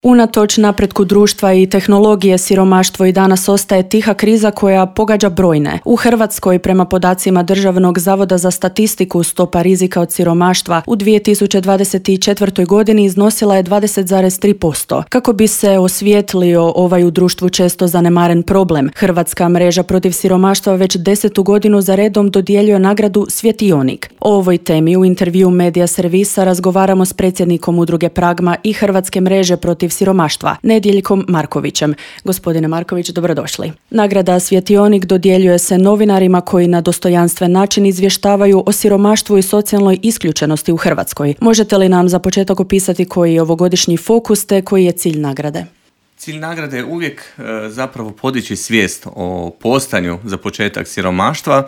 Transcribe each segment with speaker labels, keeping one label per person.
Speaker 1: Unatoč napretku društva i tehnologije, siromaštvo i danas ostaje tiha kriza koja pogađa brojne. U Hrvatskoj, prema podacima Državnog zavoda za statistiku, stopa rizika od siromaštva u 2024. godini iznosila je 20,3%. Kako bi se osvijetlio ovaj u društvu često zanemaren problem, Hrvatska mreža protiv siromaštva već 10. godinu za redom dodjeljuje nagradu Svjetionik. O ovoj temi u intervju Medija servisa razgovaramo s predsjednikom udruge Pragma i Hrvatske mreže protiv siromaštva, Nedjeljkom Markovićem. Gospodine Marković, dobrodošli. Nagrada Svjetionik dodjeljuje se novinarima koji na dostojanstven način izvještavaju o siromaštvu i socijalnoj isključenosti u Hrvatskoj. Možete li nam za početak opisati koji je ovogodišnji fokus te koji je cilj nagrade?
Speaker 2: Cilj nagrade je uvijek zapravo podići svijest o postojanju za početak siromaštva.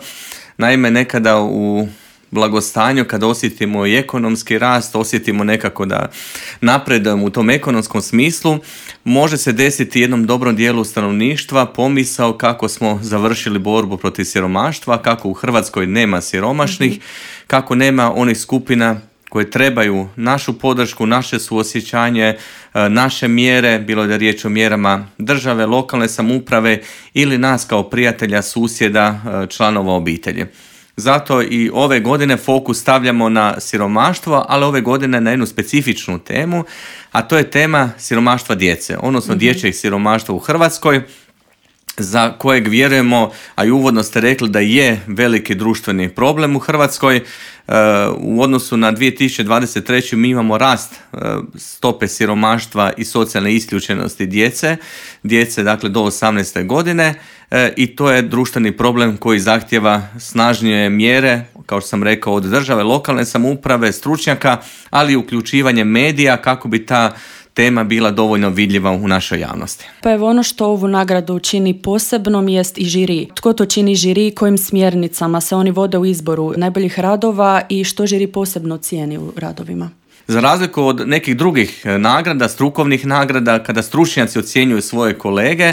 Speaker 2: Naime, nekada u blagostanju, kada osjetimo i ekonomski rast, osjetimo nekako da napredujemo u tom ekonomskom smislu, može se desiti jednom dobrom dijelu stanovništva pomisao kako smo završili borbu protiv siromaštva, kako u Hrvatskoj nema siromašnih, kako nema onih skupina koje trebaju našu podršku, naše suosjećanje, naše mjere, bilo da je riječ o mjerama države, lokalne samouprave ili nas kao prijatelja, susjeda, članova obitelji. Zato i ove godine fokus stavljamo na siromaštvo, ali ove godine na jednu specifičnu temu, a to je tema siromaštva djece, odnosno dječjeg siromaštva u Hrvatskoj, za kojeg vjerujemo, a i uvodno ste rekli da je veliki društveni problem u Hrvatskoj. U odnosu na 2023. mi imamo rast stope siromaštva i socijalne isključenosti djece dakle do 18. godine i to je društveni problem koji zahtijeva snažnije mjere, kao što sam rekao, od države, lokalne samouprave, stručnjaka, ali i uključivanje medija kako bi ta tema bila dovoljno vidljiva u našoj javnosti.
Speaker 1: Pa evo, ono što ovu nagradu čini posebnom jest i žiri. Tko to čini žiri, kojim smjernicama se oni vode u izboru najboljih radova i što žiri posebno cijeni u radovima?
Speaker 2: Za razliku od nekih drugih nagrada, strukovnih nagrada, kada stručnjaci ocjenjuju svoje kolege,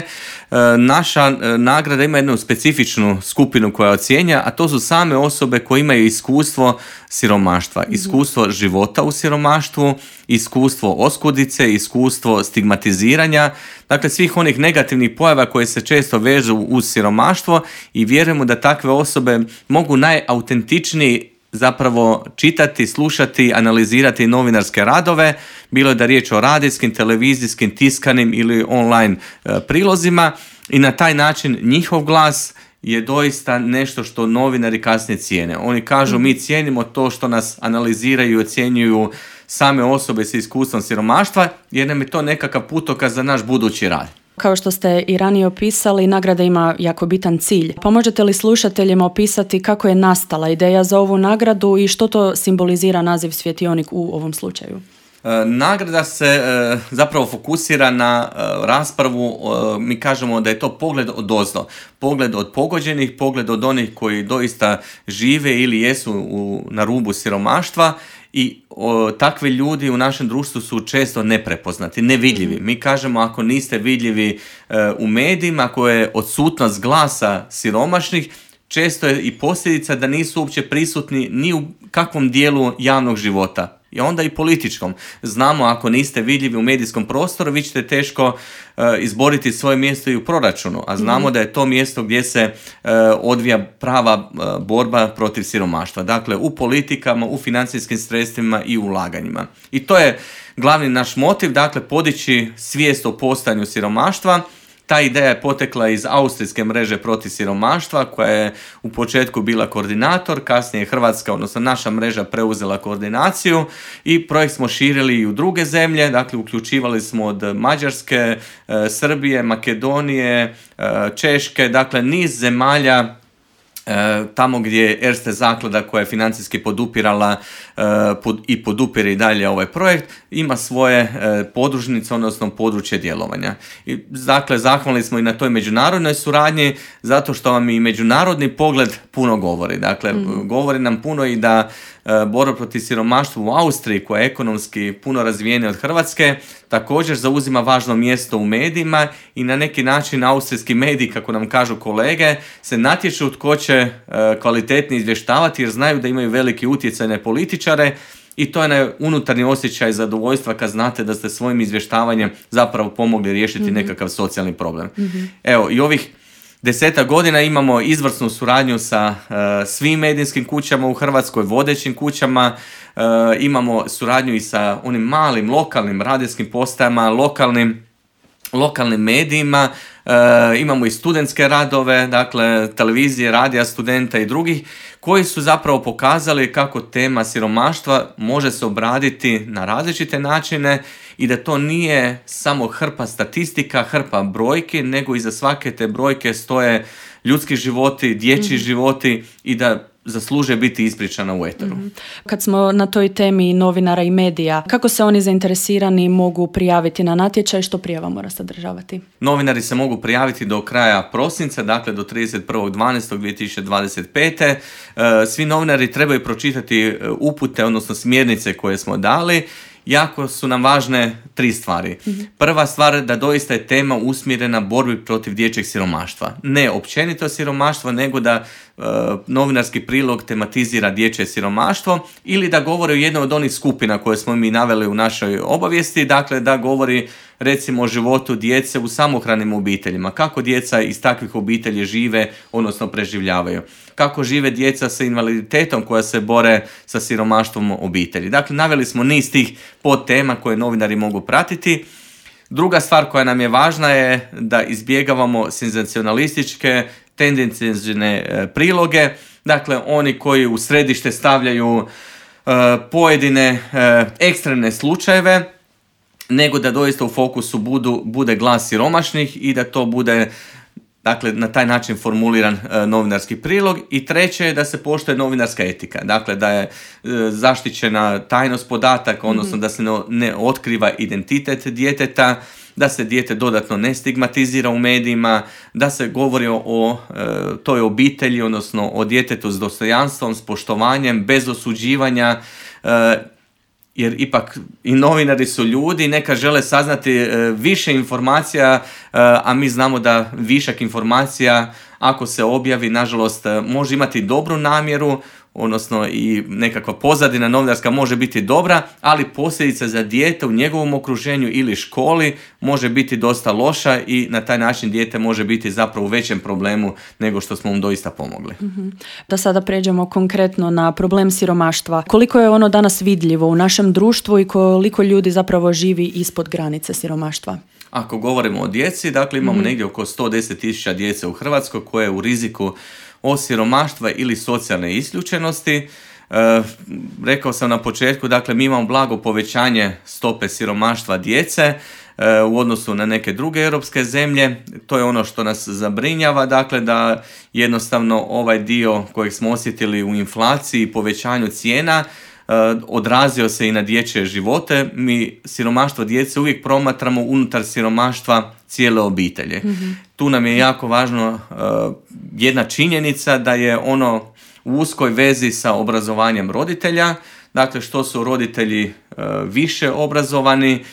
Speaker 2: naša nagrada ima jednu specifičnu skupinu koja ocjenja, a to su same osobe koje imaju iskustvo siromaštva, iskustvo života u siromaštvu, iskustvo oskudice, iskustvo stigmatiziranja, dakle svih onih negativnih pojava koje se često vežu uz siromaštvo i vjerujemo da takve osobe mogu najautentičniji zapravo čitati, slušati, analizirati novinarske radove, bilo je da riječ o radijskim, televizijskim, tiskanim ili online prilozima i na taj način njihov glas je doista nešto što novinari kasnije cijene. Oni kažu mi cijenimo to što nas analiziraju i ocjenjuju same osobe s iskustvom siromaštva jer nam je to nekakav putokaz za naš budući rad.
Speaker 1: Kao što ste i ranije opisali, nagrada ima jako bitan cilj. Pa možete li slušateljima opisati kako je nastala ideja za ovu nagradu i što to simbolizira naziv Svjetionik u ovom slučaju?
Speaker 2: Nagrada se zapravo fokusira na raspravu, mi kažemo da je to pogled odozdo, pogled od pogođenih, pogled od onih koji doista žive ili jesu na rubu siromaštva i takvi ljudi u našem društvu su često neprepoznati, nevidljivi. Mi kažemo ako niste vidljivi u medijima, ako je odsutnost glasa siromašnih, često je i posljedica da nisu uopće prisutni ni u kakvom dijelu javnog života. I onda i političkom. Znamo, ako niste vidljivi u medijskom prostoru, vi ćete teško izboriti svoje mjesto i u proračunu, a znamo da je to mjesto gdje se odvija prava borba protiv siromaštva. Dakle, u politikama, u financijskim sredstvima i ulaganjima. I to je glavni naš motiv, dakle, podići svijest o postojanju siromaštva. Ta ideja je potekla iz austrijske mreže protiv siromaštva koja je u početku bila koordinator, kasnije je Hrvatska, odnosno naša mreža preuzela koordinaciju i projekt smo širili i u druge zemlje, dakle uključivali smo od Mađarske, Srbije, Makedonije, Češke, dakle niz zemalja tamo gdje je Erste zaklada koja je financijski podupirala i podupire i dalje ovaj projekt, ima svoje podružnice, odnosno područje djelovanja. I, dakle, zahvalni smo i na toj međunarodnoj suradnji, zato što vam i međunarodni pogled puno govori. Dakle, govori nam puno i da borba protiv siromaštva u Austriji, koja je ekonomski puno razvijenija od Hrvatske, također zauzima važno mjesto u medijima i na neki način austrijski mediji, kako nam kažu kolege, se natječu tko će kvalitetnije izvještavati jer znaju da imaju veliki utjecaj na političare i to je unutarnji osjećaj zadovoljstva kad znate da ste svojim izvještavanjem zapravo pomogli riješiti nekakav socijalni problem. Evo, i ovih 10 godina imamo izvrsnu suradnju sa svim medijskim kućama u Hrvatskoj, vodećim kućama, imamo suradnju i sa onim malim lokalnim radijskim postajama, lokalnim medijima, imamo i studentske radove, dakle televizije, radija studenta i drugih, koji su zapravo pokazali kako tema siromaštva može se obraditi na različite načine i da to nije samo hrpa statistika, hrpa brojki, nego iza svake te brojke stoje ljudski životi, dječji životi i da zasluže biti ispričana u eteru.
Speaker 1: Kad smo na toj temi novinara i medija, kako se oni zainteresirani mogu prijaviti na natječaj, što prijava mora sadržavati?
Speaker 2: Novinari se mogu prijaviti do kraja prosinca, dakle do 31.12.2025. Svi novinari trebaju pročitati upute, odnosno smjernice koje smo dali. Jako su nam važne 3 stvari. Prva stvar, da doista je tema usmjerena borbi protiv dječjeg siromaštva. Ne općenito siromaštvo, nego da novinarski prilog tematizira dječje siromaštvo ili da govori o jednoj od onih skupina koje smo mi naveli u našoj obavijesti, dakle da govori recimo o životu djece u samohranim obiteljima, kako djeca iz takvih obitelji žive, odnosno preživljavaju, kako žive djeca sa invaliditetom koja se bore sa siromaštvom obitelji. Dakle, naveli smo niz tih podtema koje novinari mogu pratiti. Druga stvar koja nam je važna je da izbjegavamo senzacionalističke, tendenciozne priloge, dakle oni koji u središte stavljaju pojedine ekstremne slučajeve, nego da doista u fokusu bude glas siromašnih i da to bude, dakle, na taj način formuliran novinarski prilog. I treće je da se poštuje novinarska etika, dakle da je zaštićena tajnost podataka, odnosno da se ne otkriva identitet djeteta, da se dijete dodatno ne stigmatizira u medijima, da se govori o toj obitelji, odnosno o djetetu s dostojanstvom, s poštovanjem, bez osuđivanja, jer ipak i novinari su ljudi, neka žele saznati više informacija, a mi znamo da višak informacija, ako se objavi, nažalost, može imati dobru namjeru, odnosno i nekakva pozadina novinarska može biti dobra, ali posljedica za dijete u njegovom okruženju ili školi može biti dosta loša i na taj način dijete može biti zapravo u većem problemu nego što smo mu doista pomogli.
Speaker 1: Da sada pređemo konkretno na problem siromaštva. Koliko je ono danas vidljivo u našem društvu i koliko ljudi zapravo živi ispod granice siromaštva?
Speaker 2: Ako govorimo o djeci, dakle imamo negdje oko 110.000 djece u Hrvatskoj koje je u riziku od siromaštva ili socijalne isključenosti. Rekao sam na početku, dakle mi imamo blago povećanje stope siromaštva djece u odnosu na neke druge europske zemlje. To je ono što nas zabrinjava, dakle da jednostavno ovaj dio kojeg smo osjetili u inflaciji i povećanju cijena odrazio se i na dječje živote. Mi siromaštvo djece uvijek promatramo unutar siromaštva cijele obitelji. Tu nam je jako važno jedna činjenica da je ono u uskoj vezi sa obrazovanjem roditelja. Dakle, što su roditelji više obrazovani,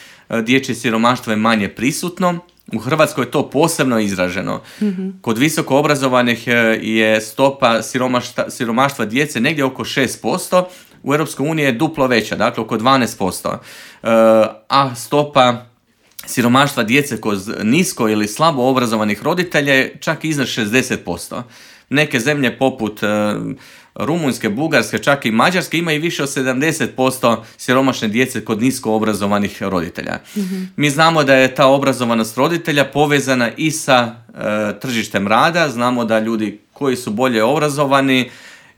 Speaker 2: dječje siromaštvo je manje prisutno. U Hrvatskoj je to posebno izraženo. Kod visoko obrazovanih je stopa siromaštva djece negdje oko 6%, u EU je duplo veća, dakle oko 12%, a stopa siromaštva djece kod nisko ili slabo obrazovanih roditelja je čak iznad 60%. Neke zemlje poput Rumunjske, Bugarske, čak i Mađarske imaju više od 70% siromašne djece kod nisko obrazovanih roditelja. Mi znamo da je ta obrazovanost roditelja povezana i sa tržištem rada. Znamo da ljudi koji su bolje obrazovani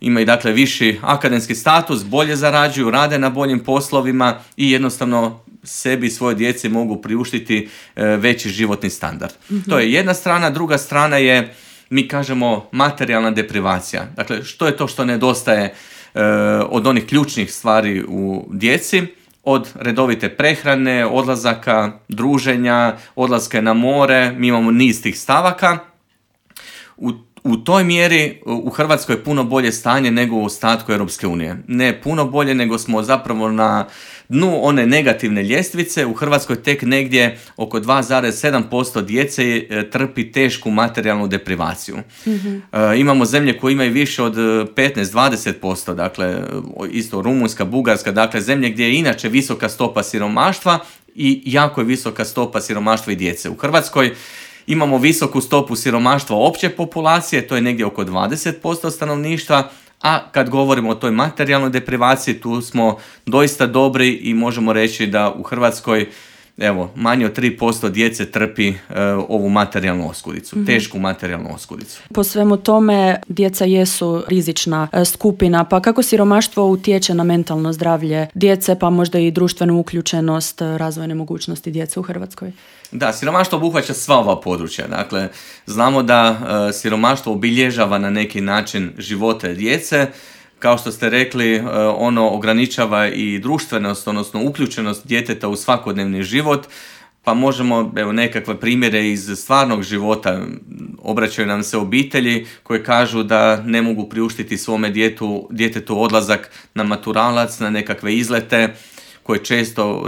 Speaker 2: imaju dakle viši akademski status, bolje zarađuju, rade na boljim poslovima i jednostavno sebi i svoje djeci mogu priuštiti veći životni standard. To je jedna strana. Druga strana je, mi kažemo, materijalna deprivacija. Dakle, što je to što nedostaje od onih ključnih stvari u djeci? Od redovite prehrane, odlazaka, druženja, odlaske na more. Mi imamo niz tih stavaka. U toj mjeri u Hrvatskoj je puno bolje stanje nego u ostatku Europske unije. Ne puno bolje, nego smo zapravo na dnu one negativne ljestvice. U Hrvatskoj tek negdje oko 2,7% djece trpi tešku materijalnu deprivaciju. Imamo zemlje koje imaju više od 15-20%, dakle isto Rumunjska, Bugarska, dakle zemlje gdje je inače visoka stopa siromaštva i jako je visoka stopa siromaštva i djece. U Hrvatskoj imamo visoku stopu siromaštva opće populacije, to je negdje oko 20% stanovništva, a kad govorimo o toj materijalnoj deprivaciji, tu smo doista dobri i možemo reći da u Hrvatskoj manje od 3% djece trpi ovu materijalnu oskudicu, tešku materijalnu oskudicu.
Speaker 1: Po svemu tome, djeca jesu rizična skupina, pa kako siromaštvo utječe na mentalno zdravlje djece, pa možda i društvenu uključenost, razvojne mogućnosti djece u Hrvatskoj?
Speaker 2: Da, siromaštvo obuhvaća sva ova područja. Dakle, znamo da siromaštvo obilježava na neki način živote djece. Kao što ste rekli, ono ograničava i društvenost, odnosno uključenost djeteta u svakodnevni život, pa možemo, nekakve primjere iz stvarnog života. Obraćaju nam se obitelji koje kažu da ne mogu priuštiti svome djetetu odlazak na maturalac, na nekakve izlete, koje često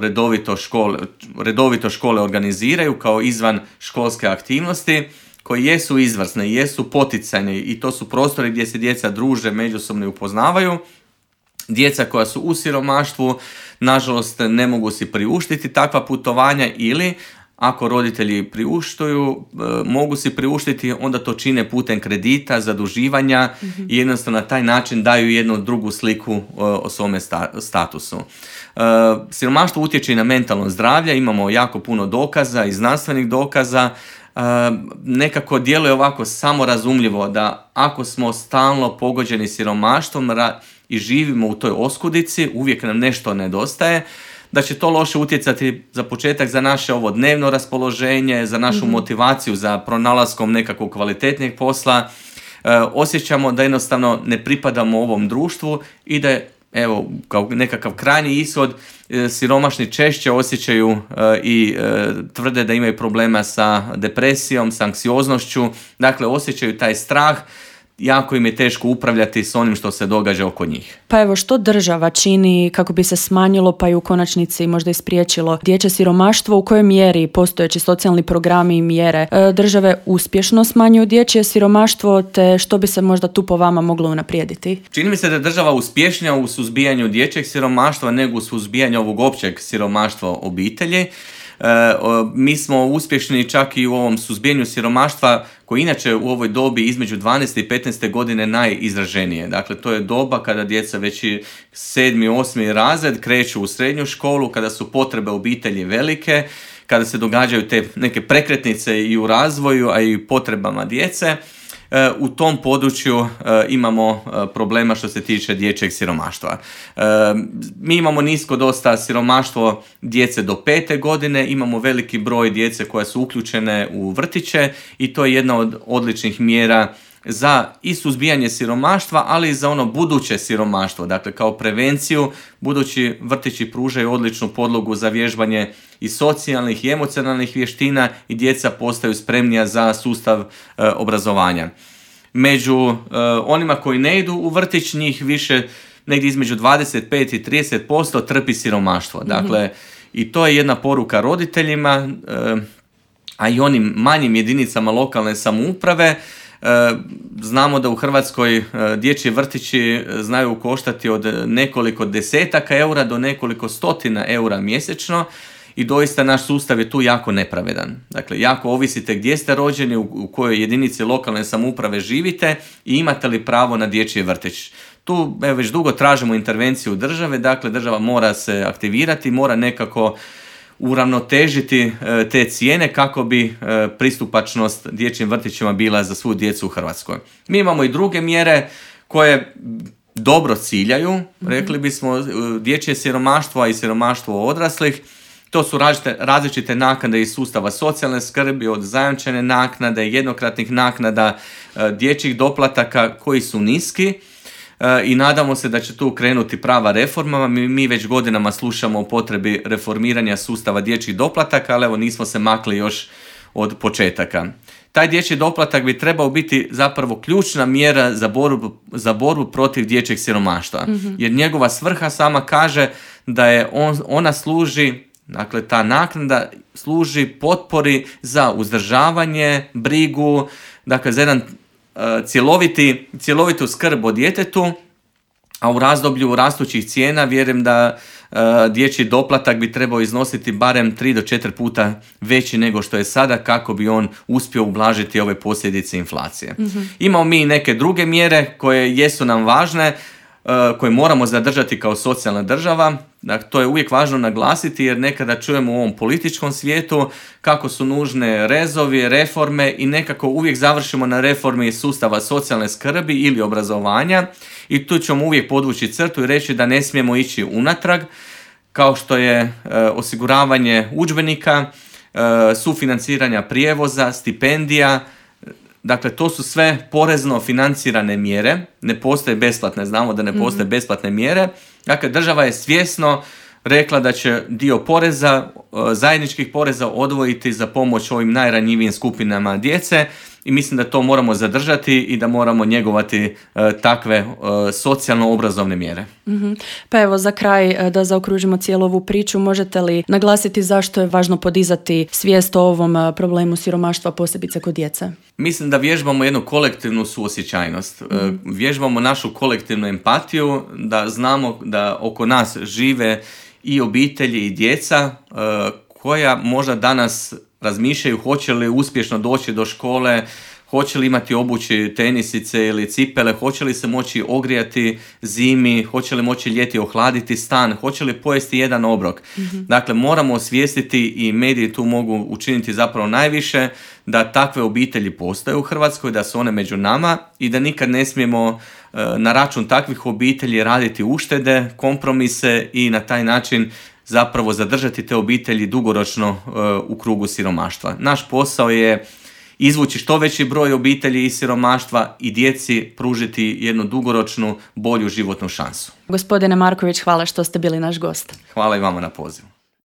Speaker 2: redovito škole organiziraju kao izvan školske aktivnosti, koji jesu izvrsne, jesu poticajne i to su prostori gdje se djeca druže, međusobno upoznavaju. Djeca koja su u siromaštvu, nažalost, ne mogu si priuštiti takva putovanja ili ako roditelji priuštuju, mogu si priuštiti, onda to čine putem kredita, zaduživanja i jednostavno na taj način daju jednu drugu sliku o svome statusu. Siromaštvo utječe i na mentalno zdravlje, imamo jako puno dokaza i znanstvenih dokaza. Nekako djeluje ovako samorazumljivo da ako smo stalno pogođeni siromaštvom i živimo u toj oskudici, uvijek nam nešto nedostaje, da će to loše utjecati za početak za naše ovo dnevno raspoloženje, za našu motivaciju za pronalaskom nekakvog kvalitetnijeg posla. Osjećamo da jednostavno ne pripadamo ovom društvu i da je, kao nekakav krajnji ishod, siromašni češće osjećaju i tvrde da imaju problema sa depresijom, sa anksioznošću, dakle osjećaju taj strah, jako im je teško upravljati s onim što se događa oko njih.
Speaker 1: Pa što država čini kako bi se smanjilo pa i u konačnici možda i spriječilo dječje siromaštvo, u kojoj mjeri postojeći socijalni programi i mjere države uspješno smanjuju dječje siromaštvo, te što bi se možda tu po vama moglo unaprijediti?
Speaker 2: Čini mi se da je država uspješnija u suzbijanju dječjeg siromaštva nego u suzbijanju ovog općeg siromaštva obitelji. Mi smo uspješni čak i u ovom suzbijanju siromaštva koji inače u ovoj dobi između 12. i 15. godine najizraženije. Dakle, to je doba kada djeca već 7. 8. razred kreću u srednju školu, kada su potrebe obitelji velike, kada se događaju te neke prekretnice i u razvoju, a i u potrebama djece. U tom području imamo problema što se tiče dječjeg siromaštva. Mi imamo nisko dosta siromaštvo djece do 5. godine, imamo veliki broj djece koje su uključene u vrtiće i to je jedna od odličnih mjera za i suzbijanje siromaštva, ali i za ono buduće siromaštvo. Dakle, kao prevenciju, budući vrtići pružaju odličnu podlogu za vježbanje i socijalnih i emocionalnih vještina i djeca postaju spremnija za sustav obrazovanja. Među onima koji ne idu u vrtić, njih više, negdje između 25 i 30% trpi siromaštvo. Dakle, i to je jedna poruka roditeljima, a i onim manjim jedinicama lokalne samouprave. Znamo da u Hrvatskoj dječji vrtići znaju koštati od nekoliko desetaka eura do nekoliko stotina eura mjesečno i doista naš sustav je tu jako nepravedan. Dakle, jako ovisite gdje ste rođeni, u kojoj jedinici lokalne samouprave živite i imate li pravo na dječji vrtić. Tu već dugo tražimo intervenciju države, dakle država mora se aktivirati, mora nekako uravnotežiti te cijene kako bi pristupačnost dječjim vrtićima bila za svu djecu u Hrvatskoj. Mi imamo i druge mjere koje dobro ciljaju, rekli bismo, dječje siromaštvo, a i siromaštvo odraslih. To su različite naknade iz sustava socijalne skrbi, od zajamčene naknade, jednokratnih naknada, dječjih doplataka koji su niski. I nadamo se da će tu krenuti prava reforma. Mi već godinama slušamo o potrebi reformiranja sustava dječjih doplataka, ali evo nismo se makli još od početaka. Taj dječji doplatak bi trebao biti zapravo ključna mjera za borbu protiv dječjeg siromaštva. Jer njegova svrha sama kaže da je ona služi, dakle ta naknada služi potpori za uzdržavanje, brigu, dakle za jedan cjelovitu skrb o djetetu, a u razdoblju rastućih cijena vjerujem da dječji doplatak bi trebao iznositi barem 3 do 4 puta veći nego što je sada kako bi on uspio ublažiti ove posljedice inflacije. Imamo mi i neke druge mjere koje jesu nam važne, koje moramo zadržati kao socijalna država. Dakle, to je uvijek važno naglasiti jer nekada čujemo u ovom političkom svijetu kako su nužne rezovi, reforme i nekako uvijek završimo na reformi sustava socijalne skrbi ili obrazovanja i tu ćemo uvijek podvući crtu i reći da ne smijemo ići unatrag, kao što je osiguravanje udžbenika, sufinanciranja prijevoza, stipendija. Dakle, to su sve porezno financirane mjere, ne postoje besplatne, znamo da ne postoje besplatne mjere. Dakle, država je svjesno rekla da će dio poreza, zajedničkih poreza odvojiti za pomoć ovim najranjivijim skupinama djece i mislim da to moramo zadržati i da moramo njegovati takve socijalno-obrazovne mjere.
Speaker 1: Pa evo, za kraj, da zaokružimo cijelu ovu priču, možete li naglasiti zašto je važno podizati svijest o ovom problemu siromaštva, posebice kod djece?
Speaker 2: Mislim da vježbamo jednu kolektivnu suosjećajnost. Vježbamo našu kolektivnu empatiju, da znamo da oko nas žive i obitelji i djeca koja možda danas razmišljaju hoće li uspješno doći do škole, hoće li imati obući tenisice ili cipele, hoće li se moći ogrijati zimi, hoće li moći ljeti ohladiti stan, hoće li pojesti jedan obrok. Dakle, moramo osvijestiti i mediji tu mogu učiniti zapravo najviše da takve obitelji postoje u Hrvatskoj, da su one među nama i da nikad ne smijemo na račun takvih obitelji raditi uštede, kompromise i na taj način zapravo zadržati te obitelji dugoročno u krugu siromaštva. Naš posao je izvući što veći broj obitelji iz siromaštva i djeci pružiti jednu dugoročnu, bolju životnu šansu.
Speaker 1: Gospodine Marković, hvala što ste bili naš gost.
Speaker 2: Hvala i vama na pozivu.